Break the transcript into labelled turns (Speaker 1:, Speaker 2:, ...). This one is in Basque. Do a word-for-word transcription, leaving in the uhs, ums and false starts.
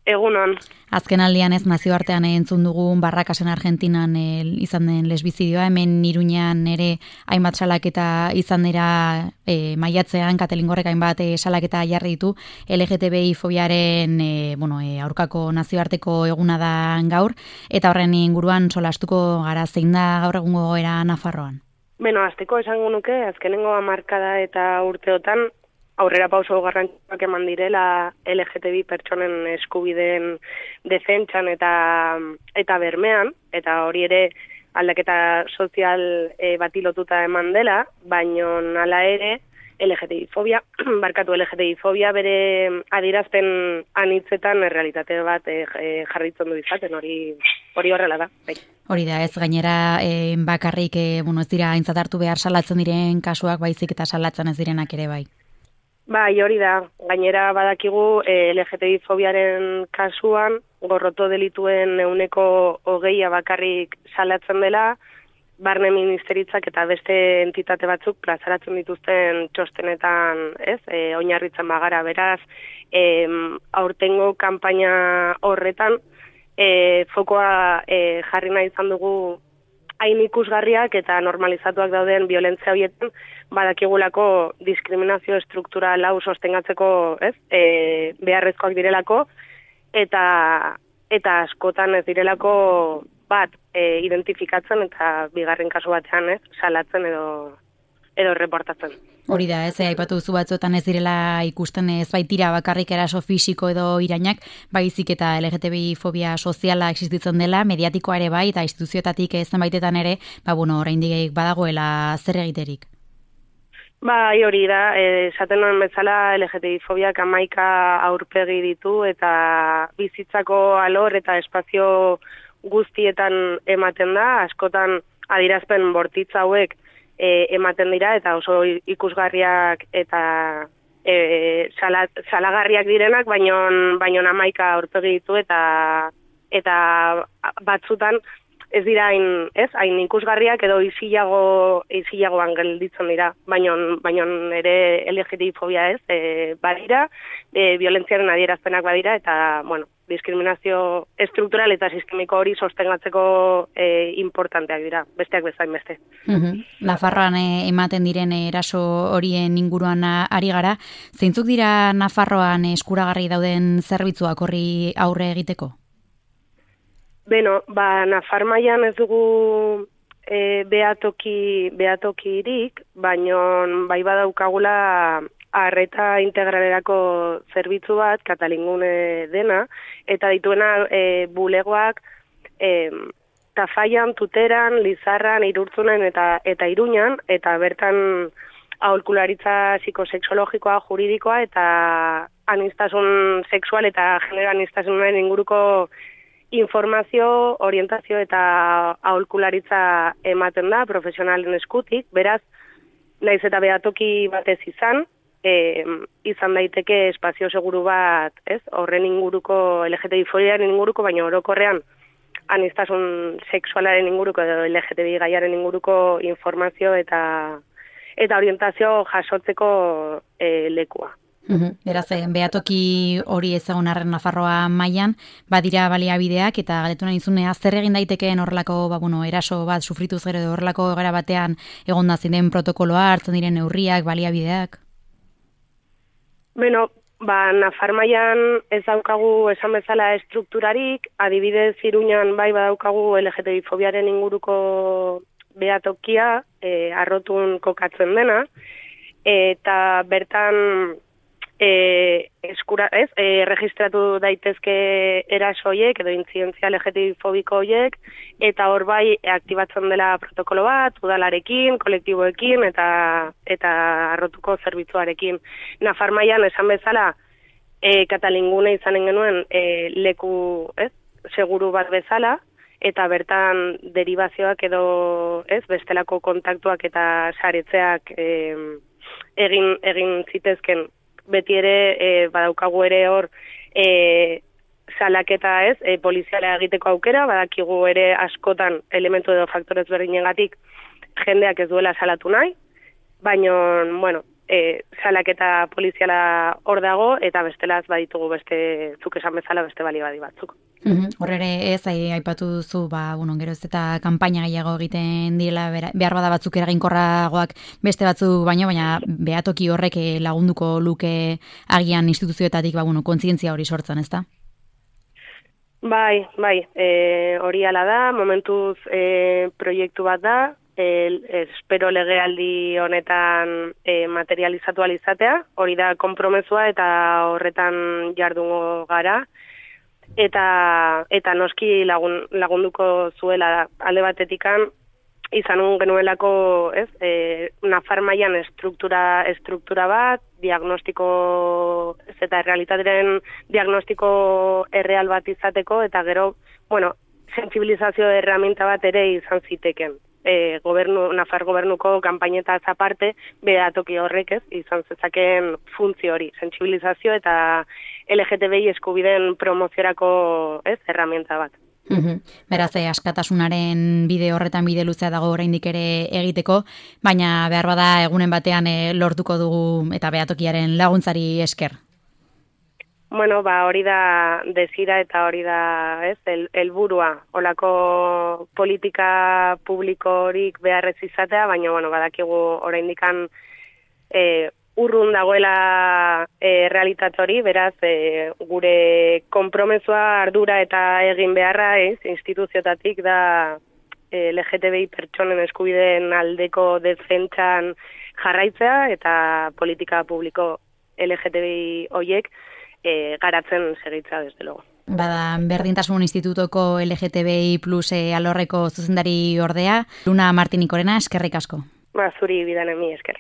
Speaker 1: Egunon.
Speaker 2: Azken aldian ez nazioartean entzun dugun Barrakasen Argentinan e, izan den lesbizidioa, hemen Iruñean ere hainbat salaketa izan dira e, maiatzean, Katalingorrek hainbat e, salaketa jarri ditu, L G T B I fobiaren e, bueno, e, aurkako nazioarteko eguna da gaur, eta horren inguruan solastuko gara, zein da gaur egungo gogoera Nafarroan?
Speaker 1: Beno, azteko esango nuke, azkenengo hamarkada eta urteotan, aurrera pauso garrantzituak eman direla L G T B I pertsonen eskubideen defentsan eta eta bermean, eta hori ere aldaketa sozial e, bati lotuta eman dela, baino hala ere L G T B I fobia, barkatu L G T B I fobia bere adierazpen anitzetan errealitate bat e, jarritzen du izaten, hori hori horrela da. Bai.
Speaker 2: Hori da, ez gainera e, bakarrik e, bueno, ez dira aintzat hartu behar salatzen diren kasuak, baizik eta salatzen ez direnak ere bai.
Speaker 1: Bai, hori da. Gainera badakigu eh, L G T B I fobiaren kasuan gorroto delituen ehuneko hogeia bakarrik salatzen dela, barne ministeritzak eta beste entitate batzuk plazaratzen dituzten txostenetan, ez, e, oinarritzen bagara, beraz, e, aurtengo kanpaina horretan e, fokoa e, jarri nahi izan dugu hain ikusgarriak eta normalizatuak dauden violentzia horietan, badakigulako diskriminazio struktural hau sostengatzeko, ez, e, beharrezkoak direlako, eta eta askotan ez direlako bat e, identifikatzen eta bigarren kasu batean, ez, salatzen edo edo reportatzen.
Speaker 2: Hori da, ez, aipatu duzu batzuetan ez direla ikusten ez baitira bakarrik eraso fisiko edo irainak, baizik eta L G T B I fobia soziala existitzen dela, mediatikoa ere bai, eta instituzioetatik zenbaitetan ere, ba, bueno, oraindik badagoela zer egiterik.
Speaker 1: Bai, hori da, esaten nuen bezala L G T B I fobiak hamaika aurpegi ditu eta bizitzako alor eta espazio guztietan ematen da, askotan adierazpen bortitz hauek e, ematen dira eta oso ikusgarriak eta e, salat, salagarriak direnak, baino baino hamaika aurpegi ditu eta eta batzutan ez dira hain, ez, hain ikusgarriak edo isilago isilagoan gelditzen dira, baino baino ere L G T B I fobia ez, e, badira, e, violentziaren adierazpenak badira eta, bueno, diskriminazio estruktural eta sistemiko hori sostengatzeko e, importanteak dira, besteak bezain beste.
Speaker 2: Uh-huh. Nafarroan e, ematen diren eraso horien inguruan ari gara, zeintzuk dira Nafarroan eskuragarri dauden zerbitzuak horri aurre egiteko?
Speaker 1: Beno, ba, Nafar mailan ez dugu e, behatoki, behatokirik, baino bai badaukagula arreta integralerako zerbitzu bat, Katalingune dena, eta dituena e, bulegoak e, Tafaian, Tuteran, Lizarran, Irurtzunen eta eta Iruñan, eta bertan aholkularitza psikosexologikoa, juridikoa eta aniztasun sexual eta genero aniztasunaren inguruko informazio, orientazio eta aholkularitza ematen da profesionalen eskutik, beraz, naiz eta behatoki batez izan, e, izan daiteke espazio seguru bat, ez? Horren inguruko, L G T B I fobiaren inguruko, baina orokorrean aniztasun sexualaren inguruko edo L G T B I gaiaren inguruko informazio eta eta orientazio jasotzeko e, lekua.
Speaker 2: Uhum. Beraz, behatoki hori ezagun arren Nafarroa mailan, badira baliabideak eta galetu nahi izunea zer egin daitekeen horrelako, ba, bueno, eraso bat sufrituz gero edo horrelako gara batean egonda ziren protokoloa, hartzen diren neurriak, baliabideak?
Speaker 1: Beno, ba, Nafar mailan ez daukagu esan bezala estrukturarik, adibidez Iruñan bai badaukagu L G T B I fobiaren inguruko behatokia, e, arrotun kokatzen dena, eta bertan E, eskura, ez, e, registratu daitezke erasoiek edo intzidentzia L G T B I fobiko hoiek, eta hor bai aktibatzen dela protokolo bat, udalarekin, kolektiboekin eta eta arrotuko zerbitzuarekin. Nafar mailan esan bezala, e, Katalingune izanen genuen e, leku, ez, seguru bat bezala, eta bertan deribazioak edo, ez, bestelako kontaktuak eta saretzeak e, egin egin zitezken. Beti ere e, badaukagu ere hor e, salaketa ez, e, poliziala egiteko aukera, badakigu ere askotan elementu edo faktorez berdinengatik jendeak ez duela salatu nahi, baina, bueno, e, salaketa poliziala hor dago, eta bestelaz baditugu beste, zuk esan bezala beste balibadi batzuk.
Speaker 2: Hor ere ez, aipatu duzu, ba, bueno, gero ez eta kanpaina gehiago egiten direla, behar bada batzuk eraginkorragoak beste batzu baino, baina behatoki horrek lagunduko luke agian instituzioetatik, ba, bueno, kontzientzia hori sortzen, ezta?
Speaker 1: Bai, bai, e, hori ala da, momentuz e, proiektu bat da, e, espero legealdi honetan e, materializatu alizatea, hori da konpromesua eta horretan jardungo gara, eta eta noski lagun, lagunduko zuela alde batetikan izan genuelako, ez, e, Nafar mailan estruktura estruktura bat, diagnostiko ez, eta errealitateren diagnostiko erreal bat izateko, eta gero, bueno, sentsibilizazio erraminta bat ere izan ziteken. E, gobernu, Nafar gobernuko kanpainetaz aparte, behatoki horrek, ez, izan zezaken funtzio hori, sentsibilizazio eta L G T B I eskubideen promoziorako, ez, erraminta bat.
Speaker 2: Uhum. Beraz, eh, askatasunaren bide horretan bide luzea dago oraindik ere egiteko, baina behar bada egunen batean eh, lortuko dugu eta behatokiaren laguntzari esker.
Speaker 1: Bueno, ba, hori da desira eta hori da, ez, el, helburua, holako politika publikorik beharrez izatea, baina, bueno, badakigu oraindikan eh, urrun dagoela e, realitate hori, beraz, e, gure konpromesua ardura eta egin beharra, ez, instituziotatik da e, L G T B I pertsonen eskubideen aldeko defentsan jarraitzea eta politika publiko L G T B I hoiek e, garatzen segitza, desde luego.
Speaker 2: Bada, Berdintasun Institutoko L G T B I plus e, alorreko zuzendari ordea, Luna Martinikorena, eskerrik asko.
Speaker 1: Ba, zuri bidanen mi esker.